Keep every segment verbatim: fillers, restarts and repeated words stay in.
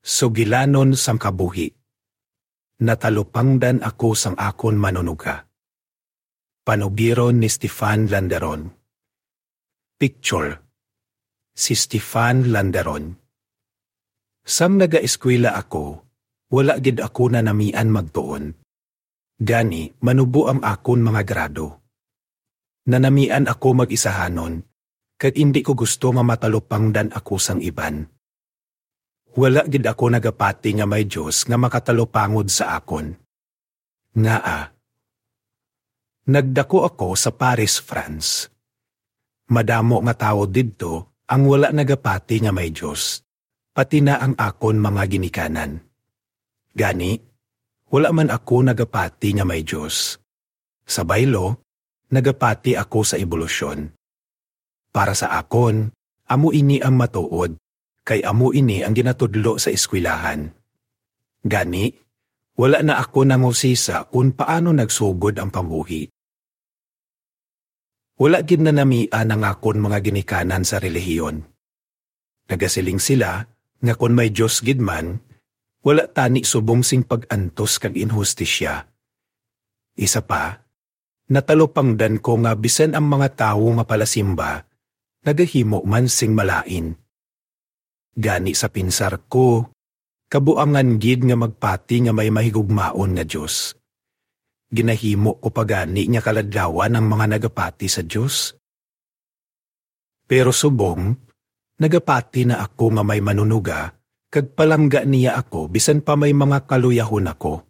Sugilanon sang kabuhi. Natalupangdan ako sang akon manunuga. Panugiron ni Stefan Landeron. Picture, si Stefan Landeron. Sang nagaeskwela ako, wala gid ako nanamian magtuon. Gani, manubo ang akon mga grado. Nanamian ako mag-isahanon, kag indi ko gusto nga matalupangdan ako sang iban. Wala gid ako nagapati nga may Dios nga makatalupangod sa akon. Ngaa? Nagdako ako sa Paris, France. Madamo nga tawo didto ang wala nagapati nga may Dios, pati na ang akon mga ginikanan. Gani, wala man ako nagapati nga may Dios. Sa baylo, nagapati ako sa ebolusyon. Para sa akon, amo ini ang matuod, kay amo ini ang ginatudlo sa eskwelahan. Gani, wala na ako nangusisa kon paano nagsugod ang pambuhi. Wala gid nanamian ang akon mga ginikanan sa relihiyon. Nagasiling sila nga kon may Dios gid man, wala tani subong sing pag-antos kag inhustisya. Isa pa, natalupangdan ko nga bisan ang mga tawo nga palasimba nagahimo man sing malain. Gani sa pinsar ko, kabuangan gid nga magpati nga may mahigugmaon nga Dios. Ginahimo ko pa gani nga kaladlawan ang mga nagapati sa Dios? Pero subong, nagapati na ako nga may manunuga, kag palangga niya ako bisan pa may mga kaluyahon ako.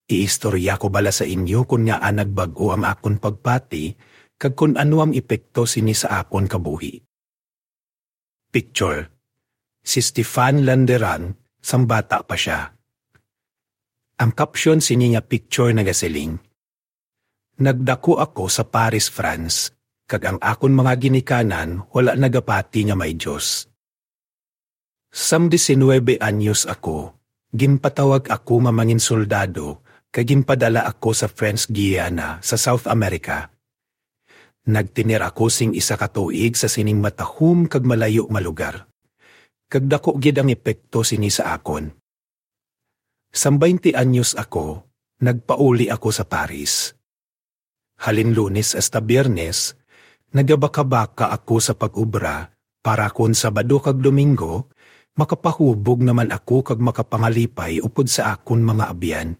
Iistorya ko bala sa inyo kon ngaa nagbag-o ang akon pagpati, kag kon ano ang epekto sini sa akon kabuhi. Picture, si Stefan Landeran sang bata pa sia. Ang caption sini nga picture nagasiling, "Nagdako ako sa Paris, France, kag ang akon mga ginikanan wala nagapati nga may Dios." Sang diecinuebe anyos ako, ginpatawag ako nga mangin soldado kag ginpadala ako sa French Guiana sa South America. Nagtener ako sing isa ka tuig sa sining matahom kag malayo nga lugar, kag daku gid ang epekto sini sa akon. Sang baynte anyos ako, nagpauli ako sa Paris. Halin Lunes hasta Biyernes, nagabakabaka ako sa pag-obra para kon Sabado kag Domingo, makapahubog naman ako kag makapangalipay upod sa akon mga abyan.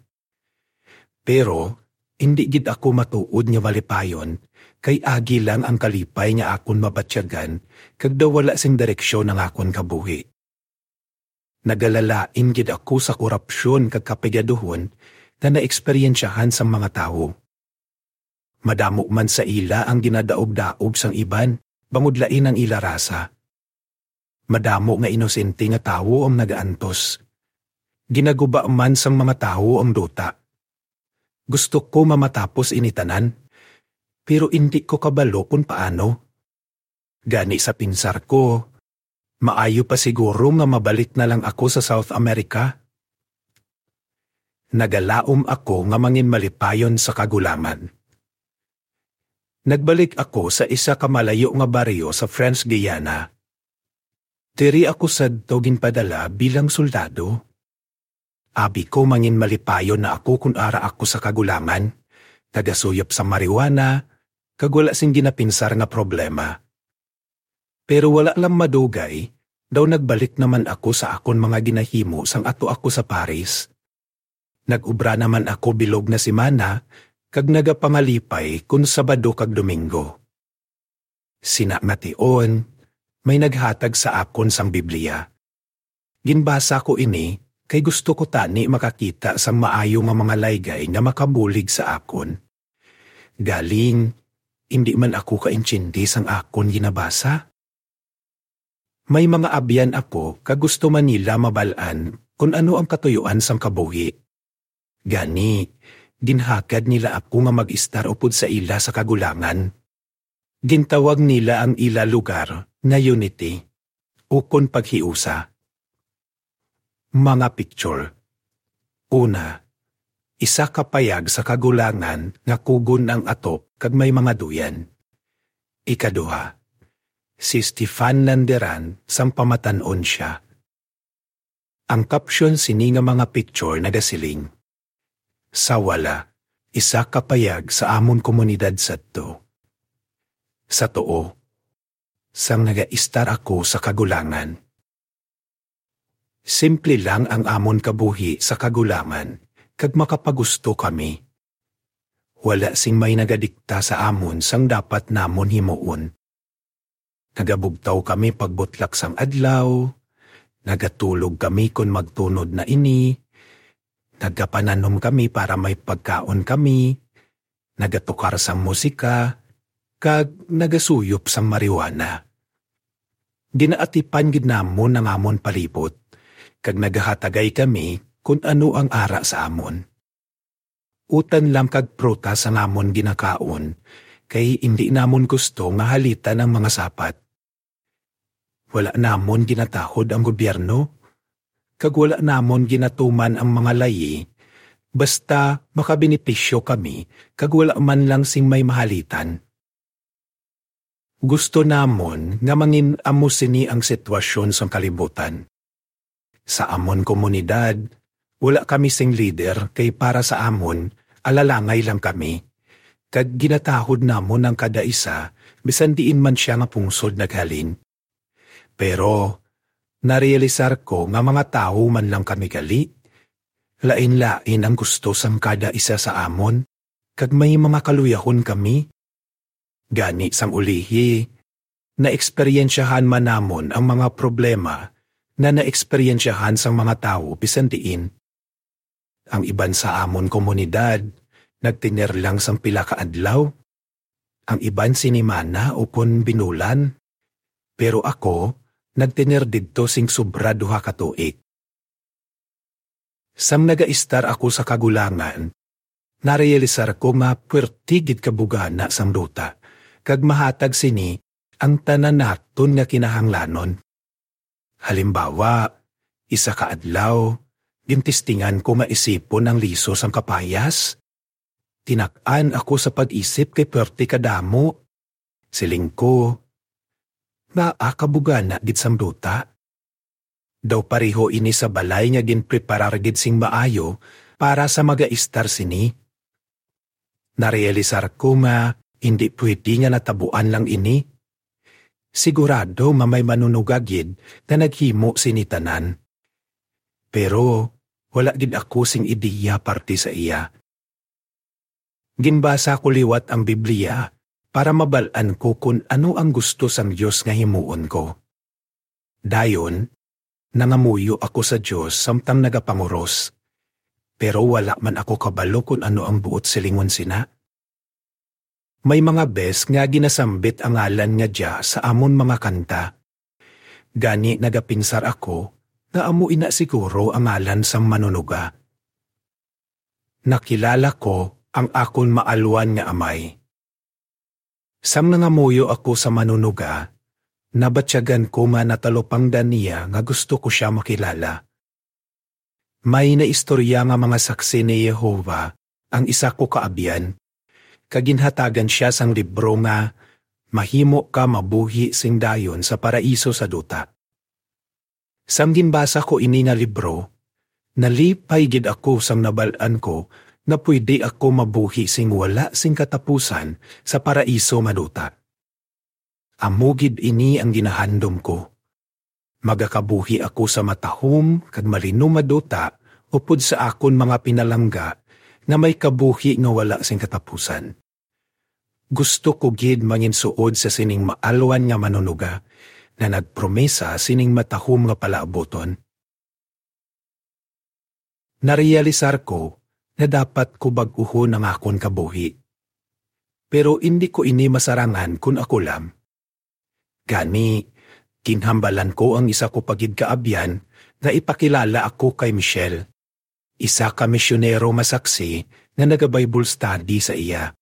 Pero, indi gid ako matuod nga malipayon, kay agi lang ang kalipay nga akon mabatyagan, kag daw wala sing direksyon ang akon kabuhi. Nagalalain gid ako sa korupsyon kag kapigaduhon nga naeksperyensyahan sang mga tawo. Madamo man sa ila ang ginadaog-daog sang iban, bangod lain ang ila rasa. Madamo nga inosente nga tawo ang nagaantos. Ginaguba man sang mga tawo ang duta. Gusto ko mamatapos ini tanan, pero indi ko kabalo kon paano. Gani sa pinsar ko, maayo pa siguro nga mabalik na lang ako sa South America. Nagalaom ako nga mangin malipayon sa kagulangan. Nagbalik ako sa isa ka malayo nga baryo sa French Guiana. Diri ako sadto ginpadala bilang soldado. Abi ko, mangin malipayon na ako kon ara ako sa kagulangan, nagasuyop sa marijuana, kag wala sing ginapinsar nga problema. Pero wala lang madugay, daw nagbalik naman ako sa akon mga ginahimo sang ato ako sa Paris. Nag-obra naman ako bilog nga semana, kag nagapangalipay kon Sabado kag Domingo. Sina nga tion, may naghatag sa akon sang Biblia. Ginbasa ko ini kay gusto ko tani makakita sang maayo nga mga laygay nga makabulig sa akon. Galing, indi man ako kaintiende sang akon ginabasa. May mga abyan ako kag gusto man nila mabal-an kon ano ang katuyoan sang kabuhi. Gani, ginhagad nila ako nga mag-estar upod sa ila sa kagulangan. Gintawag nila ang ila lugar nga Unity, ukon Paghiusa. Mga picture. Una, isa ka payag sa kagulangan nga kugon ang atop kag may mga duyan. Ikaduha, si Stefan Landeran sang pamatan-on sia. Ang caption sini nga mga picture nagasiling, "Sa wala, isa ka payag sa amon komunidad sadto." Sa tuo, sang nagaistar ako sa kagulangan. Simple lang ang amon kabuhi sa kagulangan, kag makapagusto kami. Wala sing may nagadikta sa amon sang dapat namon himuon. Nagabugtaw kami pagbutlak sang adlaw, nagatulog kami kon magtunod na ini, nagapananom kami para may pagkaon kami, nagatukar sang musika, kag nagasuyop sang marijuana. Ginaatipan gid namon ang amon palibot, kag nagahatagay kami kon ano ang ara sa amon. Utan lang kag prutas ang amon ginakaon, kay indi namon gusto nga halitan ang mga sapat. Wala namon ginatahod ang gobyerno, kag wala namon ginatuman ang mga layi, basta makabenepisyo kami kag wala man lang sing may mahalitan. Gusto namon nga mangin-amo sini ang sitwasyon sang kalibutan. Sa amon komunidad, wala kami sing lider, kay para sa amon, alalangay lang kami. Kag ginatahod namon ang kada isa, bisan diin man sia nga pungsod naghalin. Pero narealisar ko nga mga tawo man lang kami gali, lain-lain ang gusto sang kada isa sa amon, kag may mga kaluyahon kami. Gani sang ulihi, naeksperyensyahan man namon ang mga problema nga naeksperyensyahan sang mga tawo bisan diin. Ang iban sa amon komunidad nagtener lang sang pila ka adlaw, ang iban sinimana ukon binulan, pero ako nagtener didto sing sobra duha ka tuig. Sang nagaistar ako sa kagulangan, narealisar ko nga puwerte gid ka bugana sang duta, kag mahatag sini ang tanan naton nga kinahanglanon. Halimbawa, isa ka adlaw, gintistingan ko nga isipon ang liso sang kapayas. Tinak-an ako sa pag-isip kay puwerte kadamo. Siling ko, "Ngaa ka bugana gid sang duta? Daw pareho ini sa balay nga ginpreparar gid sing maayo para sa magaistar sini." Narealisar ko nga hindi pwede nga natabuan lang ini. Sigurado nga may manunuga gid nga naghimo sini tanan. Pero wala gid ako sing ideya parte sa iya. Ginbasa ko liwat ang Biblia para mabal-an ko kon ano ang gusto sang Dios nga himuon ko. Dayon, nangamuyo ako sa Dios samtang nagapanguros, pero wala man ako kabalo kon ano ang buot silingon sina. May mga bes nga ginasambit ang ngalan nga Jah sa amon mga kanta. Gani nagapinsar ako nga amo ina siguro ang ngalan sang manunuga. Nakilala ko ang akon maalwan nga amay. Sang nangamuyo ako sa manunuga, nabatyagan ko nga natalupangdan niya nga gusto ko sia makilala. May naistorya nga mga Saksi ni Jehovah ang isa ko ka abyan, kag ginhatagan sia sang libro nga Mahimo Ka Mabuhi Sing Dayon sa Paraiso sa Duta. Sang ginbasa ko ini nga libro, nalipay gid ako sang nabal-an ko nga pwede ako mabuhi sing wala sing katapusan sa paraiso nga duta. Amo gid ini ang ginahandom ko. Magakabuhi ako sa matahom kag malinom nga duta upod sa akon mga pinalangga nga may kabuhi nga wala sing katapusan. Gusto ko gid manginsuod sa sining maalwan nga manunuga nga nagpromesa sining matahom nga palaabuton. Narealisar ko nga dapat ko bag-uhon ang akon kabuhi. Pero indi ko ini masarangan kon ako lang. Gani, ginhambalan ko ang isa ko pa gid ka abyan nga ipakilala ako kay Michelle, isa ka misyonero nga Saksi nga naga-Bible study sa iya.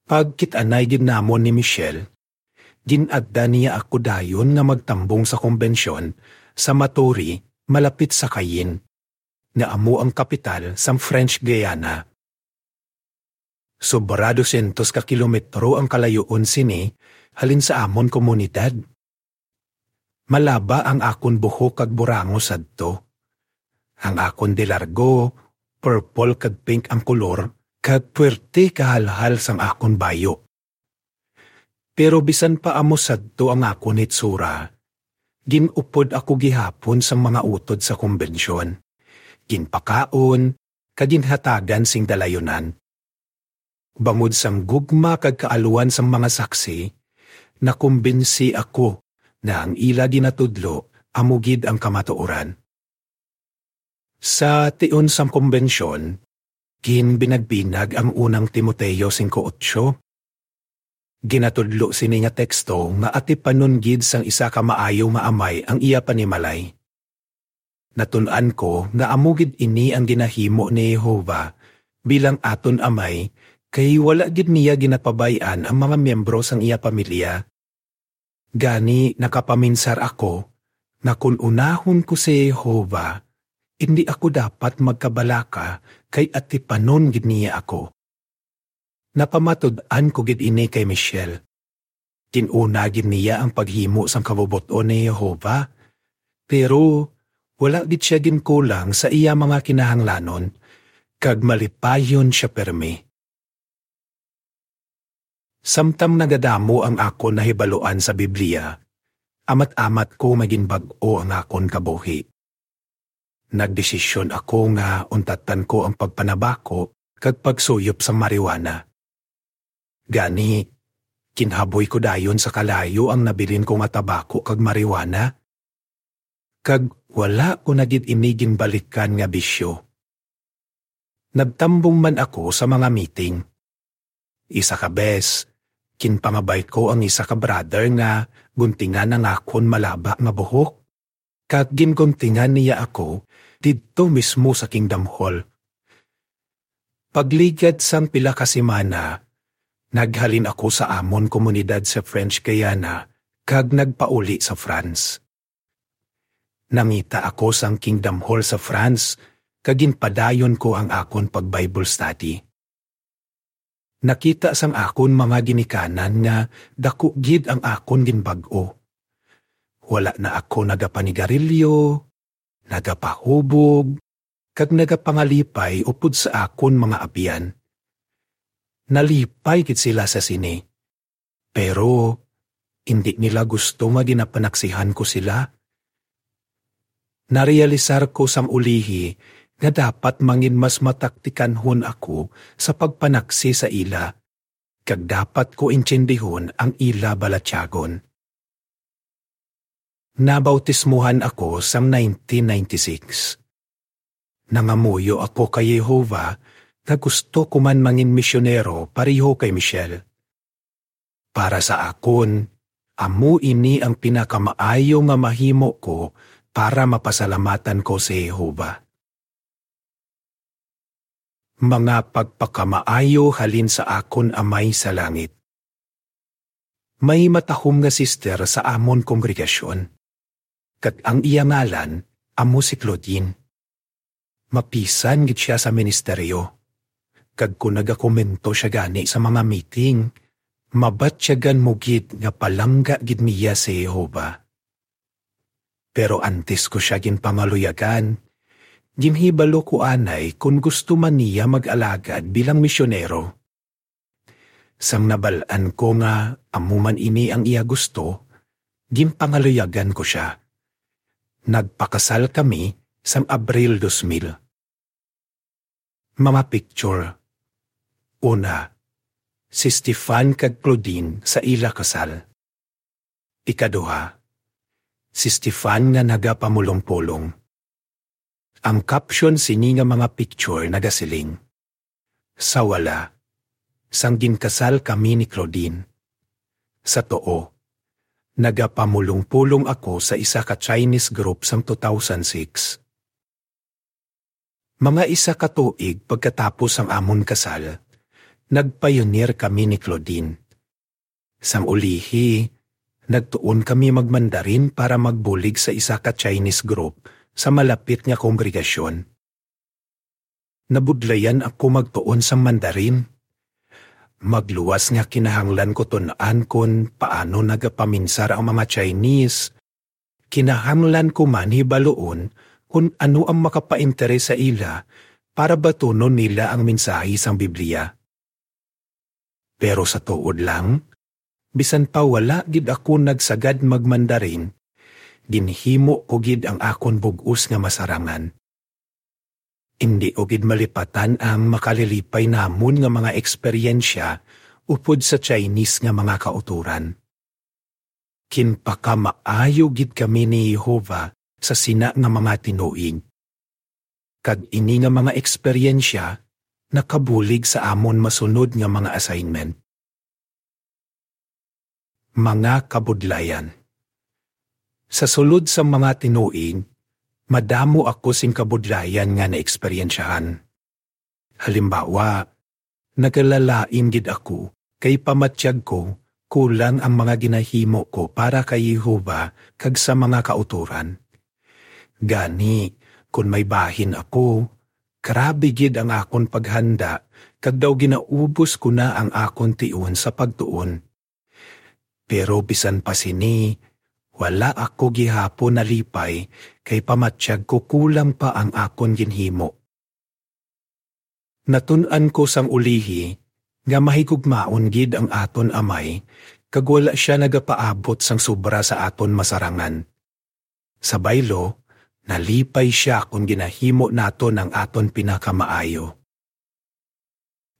Pagkit-anay gid namon ni Michelle, gin-agda niya ako dayon nga magtambong sa kombensyon sa Matoury, malapit sa Cayenne, nga amo ang kapital sang French Guiana. Sobra dosyentos ka kilometro ang kalayuon sini halin sa amon komunidad. malaba ang akon buhok kag burango sadto. Ang akon di largo, purple kag pink ang kolor, kag puwerte kahalhal sang akon bayo. Pero bisan pa amo sadto ang akon hitsura, gin-upod ako gihapon sang mga utod sa kumbensyon. Ginpakaon, kag ginhatagan sing dalayunan. Bangod sang gugma kag kaalwan sang mga saksi, nakumbinsi ako nga ang ila ginatudlo amo gid ang kamatuoran. Sa tion sang kumbensyon, ginbinagbinag ang unang Timoteo singko otso. Ginatudlo sini nga teksto nga atipanon gid sang isa ka maayo nga amay ang iya panimalay. Natun-an ko nga amo gid ini ang ginahimo ni Jehovah bilang aton Amay, kay wala gid niya ginapabay-an ang mga miyembro sang iya pamilya. Gani, nakapaminsar ako nga kon unahon ko si Jehovah, indi ako dapat magkabalaka, kay atipanon gid niya ako. Napamatud-an ko gid ini kay Michelle. Gin-una gid niya ang paghimo sang kabubot-on ni Jehovah, pero wala gid sia ginkulang sa iya mga kinahanglanon, kag malipayon sia pirmi. Samtang nagadamo ang akon nahibaluan sa Biblia, amat-amat ko magin bag-o ang akon kabuhi. Nagdesisyon ako nga untatan ko ang pagpanabako kag pagsuyop sang marijuana. Gani, ginhaboy ko dayon sa kalayo ang nabilin ko nga tabako kag marijuana, kag wala ko na gid ini ginbalikan nga bisyo. Nagtambong man ako sa mga meeting. Isa ka bes, ginpangabay ko ang isa ka brother nga guntingan ang akon malaba nga buhok, kag ginguntingan niya ako didto mismo sa Kingdom Hall. Pagligad sang pila ka semana, naghalin ako sa amon komunidad sa French Guiana kag nagpauli sa France. Nangita ako sang Kingdom Hall sa France, kag ginpadayon ko ang akon pag-Bible study. Nakita sang akon mga ginikanan nga daku gid ang akon ginbag-o. Wala na ako nagapanigarilyo, nagapahubog, kag nagapangalipay upod sa akon mga abyan. Nalipay gid sila sa sini. Pero indi nila gusto nga ginapanaksihan ko sila. Narealisar ko sang ulihi nga dapat mangin mas mataktikanhon ako sa pagpanaksi sa ila, kag dapat ko intindihon ang ila balatyagon. Nabautismuhan ako sang nineteen ninety-six. Nangamuyo ako kay Jehovah nga gusto ko man mangin misyonero pareho kay Michelle. Para sa akon, amo ini ang pinakamaayo nga mahimo ko para mapasalamatan ko si Jehovah. Mga pagpakamaayo halin sa akon Amay sa Langit. May matahom nga sister sa amon kongregasyon, kag ang iya ngalan amo si Claudine. Mapisan gid sia sa ministeryo, kag kon nagakomento sia gani sa mga meeting, mabatyagan mo gid nga palangga gid niya si Jehovah. Pero antes ko sia ginpangaluyagan, ginhibalo ko anay kon gusto man niya mag-alagad bilang misyonero. Sang nabal-an ko nga amo man ini ang iya gusto, ginpangaluyagan ko sia. Nagpakasal kami sang Abril dos mil. Mga picture. Una, si Stefan kag Claudine sa ila kasal. Ikaduha, si Stefan nga nagapamulong-pulong. Ang caption sini nga mga picture nagasiling, "Sa wala, sang ginkasal kami ni Claudine." Sa tuo, nagapamulong-pulong ako sa isa ka Chinese group sang two thousand six. Mga isa ka tuig pagkatapos sang amon kasal, nagpayunir kami ni Claudine. Sang ulihi, nagtuon kami mag-Mandarin para magbulig sa isa ka Chinese group sa malapit nga kongregasyon. Nabudlayan ako magtuon sang Mandarin. Magluwas nga kinahanglan ko tun-an kon paano nagapaminsar ang mga Chinese, kinahanglan ko man hibaluon kon ano ang makapainteres sa ila para batunon nila ang mensahe sang Biblia. Pero sa tuod lang, bisan pa wala gid ako nagsagad mag-Mandarin, ginhimo ko gid ang akon bug-os nga masarangan. Indi ko gid malipatan ang makalilipay namon nga mga eksperyensya upod sa Chinese nga mga kautoran. Ginpakamaayo gid kami ni Jehovah sa sina nga mga tinuig, kag ini nga mga eksperyensya nakabulig sa amon masunod nga mga assignment. Mga kabudlayan. Sa sulod sang mga tinuig, madamo ako sing kabudlayan nga naeksperyensyahan. Halimbawa, nagalalain gid ako kay pamatyag ko kulang ang mga ginahimo ko para kay Jehovah kag sa mga kautoran. Gani, kon may bahin ako, grabe gid ang akon paghanda, kag daw ginaubos ko na ang akon tion sa pagtuon. Pero bisan pa sini, wala ako gihapon nalipay kay pamatyag ko kulang pa ang akon ginhimo. Natun-an ko sang ulihi nga mahigugmaon gid ang aton Amay, kag wala sia nagapaabot sang sobra sa aton masarangan. Sa baylo, nalipay sia kon ginahimo naton ang aton pinakamaayo.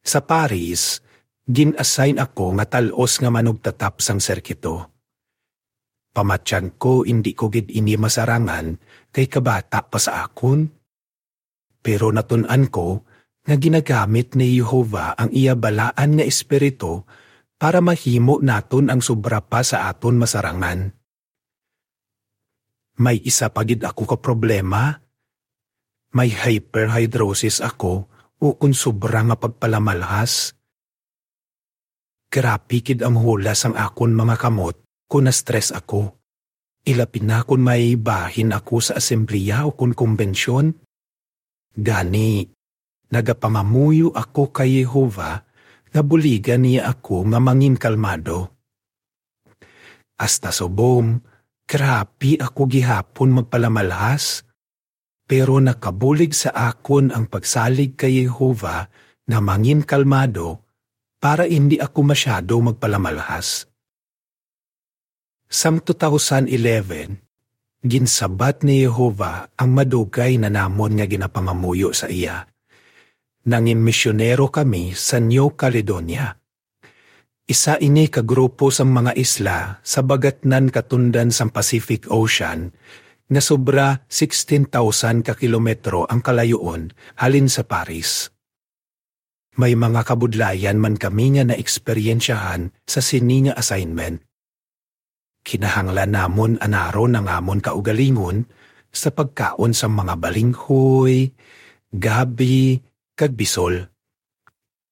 Sa Paris, gin-assign ako nga tal-os nga manugtatap sang sirkito. Pamatyag ko, indi ko gid ini masarangan kay kabata pa sa akon. Pero natun-an ko nga ginagamit ni Jehovah ang iya balaan nga Espiritu para mahimo naton ang sobra pa sa aton masarangan. May isa pa gid ako ka problema. May hyperhidrosis ako, ukon sobra nga pagpalamalhas. Grabe gid ang hula sang akon mga kamot kon na-stress ako, ilabi na kon may bahin ako sa asembleya o kon kumbensyon. Gani, nagapangamuyo ako kay Jehovah nga buligan niya ako nga mangin kalmado. Hasta subong, grabe ako gihapon magpalamalhas, pero nakabulig sa akon ang pagsalig kay Jehovah nga mangin kalmado para indi ako masyado magpalamalhas. Sang two thousand eleven, ginsabat ni Jehovah ang madugay na namon nga ginapangamuyo sa iya. Nangin misyonero kami sa New Caledonia. Isa ini ka grupo sang mga isla sa bagatnan katundan sang Pacific Ocean, nga sobra sixteen thousand ka kilometro ang kalayuon halin sa Paris. May mga kabudlayan man kami nga naeksperyensyahan sa sini nga assignment. Kinahanglan namon anaron ang amon kaugalingon sa pagkaon sang mga balinghoy, gabi, kag bisol.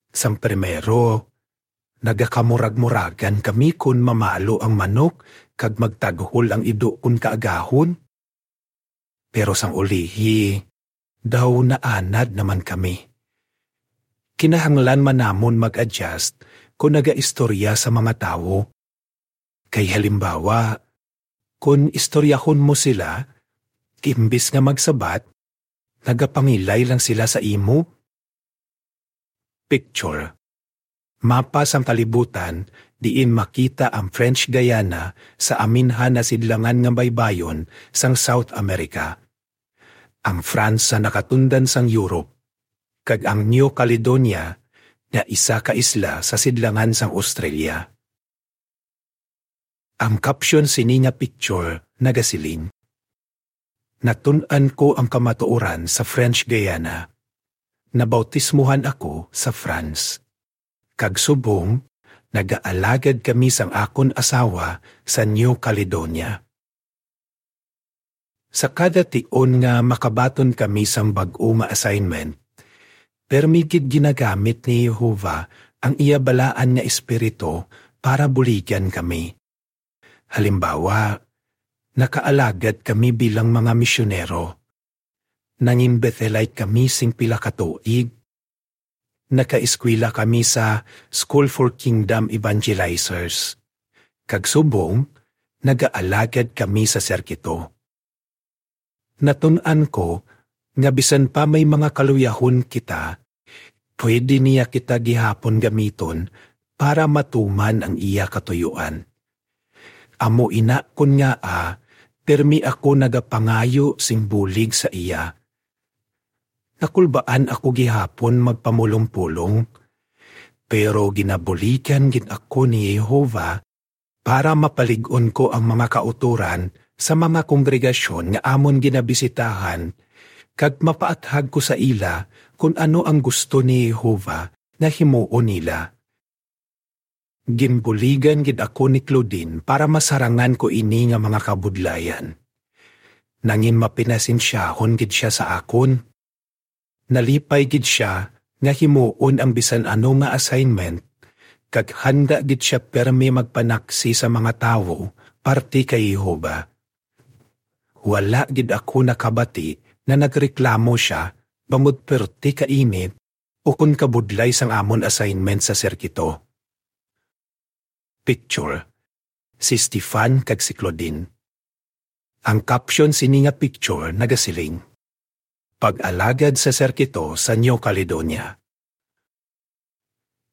Sang primero, nagakamurag-muragan kami kon mamalo ang manok kag magtaghol ang ido kon kaagahon. Pero sang ulihi, daw naanad naman kami. Kinahanglan man namon mag-adjust kon nagaistorya sa mga tawo. Kay halimbawa, kon istoryahon mo sila, imbis nga magsabat, nagapangilay lang sila sa imo. Picture. Mapa sang kalibutan diin makita ang French Guiana sa aminhan na sidlangan nga baybayon sang South America. Ang France sa nakatundan sang Europe, kag ang New Caledonia nga isa ka isla sa sidlangan sang Australia. Ang caption sini nga picture nagasiling, "Natun-an ko ang kamatuoran sa French Guiana. Nabautismohan ako sa France. Kag subong, nagaalagad kami sang akon asawa sa New Caledonia." Sa kada tion nga makabaton kami sang bag-o nga assignment, permi gid ginagamit ni Jehovah ang iya balaan nga Espiritu para buligan kami. Halimbawa, nakaalagad kami bilang mga misyonero. Nangin Bethelite kami sing pila ka tuig. Nakaeskwela kami sa School for Kingdom Evangelizers. Kag subong, nagaalagad kami sa sirkito. Natun-an ko nga bisan pa may mga kaluyahon kita, pwede niya kita gihapon gamiton para matuman ang iya katuyuan. Amo ina kon ngaa, pirmi ako nagapangayo sing bulig sa iya. Nakulbaan ako gihapon magpamulong-pulong, pero ginabuligan gid ako ni Jehovah para mapalig-on ko ang mga kautoran sa mga kongregasyon nga amon ginabisitahan, kag mapaathag ko sa ila kon ano ang gusto ni Jehovah nga himuon nila. Ginbuligan gid ako ni Claudine para masarangan ko ini nga mga kabudlayan. Nangin mapinasensyahon gid sia sa akon. Nalipay gid sia nga himuon ang bisan ano nga assignment, kag handa gid sia pirmi magpanaksi sa mga tawo parte kay Jehovah. Wala gid ako nakabati na nagreklamo sia bangod perti ka init ukon kabudlay sang amon assignment sa sirkito. Picture, si Stefan kag si Claudine. Ang caption sini nga picture nagasiling, "Pag-alagad sa Sirkito sa New Caledonia."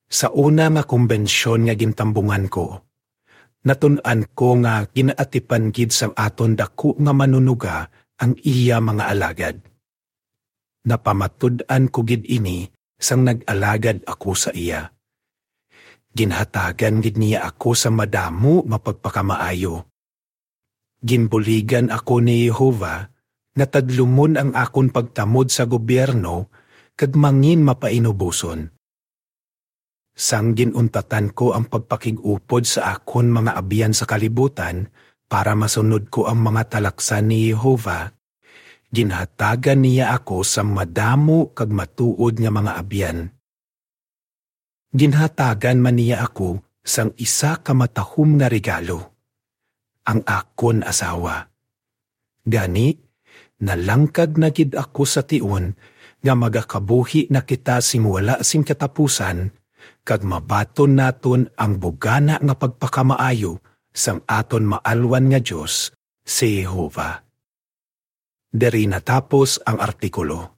Sa una nga kumbensyon nga gintambungan ko, natun-an ko nga ginaatipan gid sang aton daku nga Manunuga ang iya mga alagad. Napamatud-an ko gid ini sang nag-alagad ako sa iya. Ginhatagan gid niya ako sa madamo nga pagpakamaayo. Ginbuligan ako ni Jehovah nga tadlumon ang akon pagtamod sa gobyerno kag mangin mapainuboson. Sang gin-untatan ko ang pagpakig-upod sa akon mga abyan sa kalibutan para masunod ko ang mga talaksan ni Jehovah, ginhatagan niya ako sang madamo kag matuod nga mga abyan. Ginhatagan man niya ako sang isa ka matahom nga regalo, ang akon asawa. Gani, nalangkag na gid ako sa tion nga magakabuhi na kita sing wala sing katapusan, kag mabaton naton ang bugana nga pagpakamaayo sang aton maalwan nga Dios, si Jehovah. Diri natapos ang artikulo.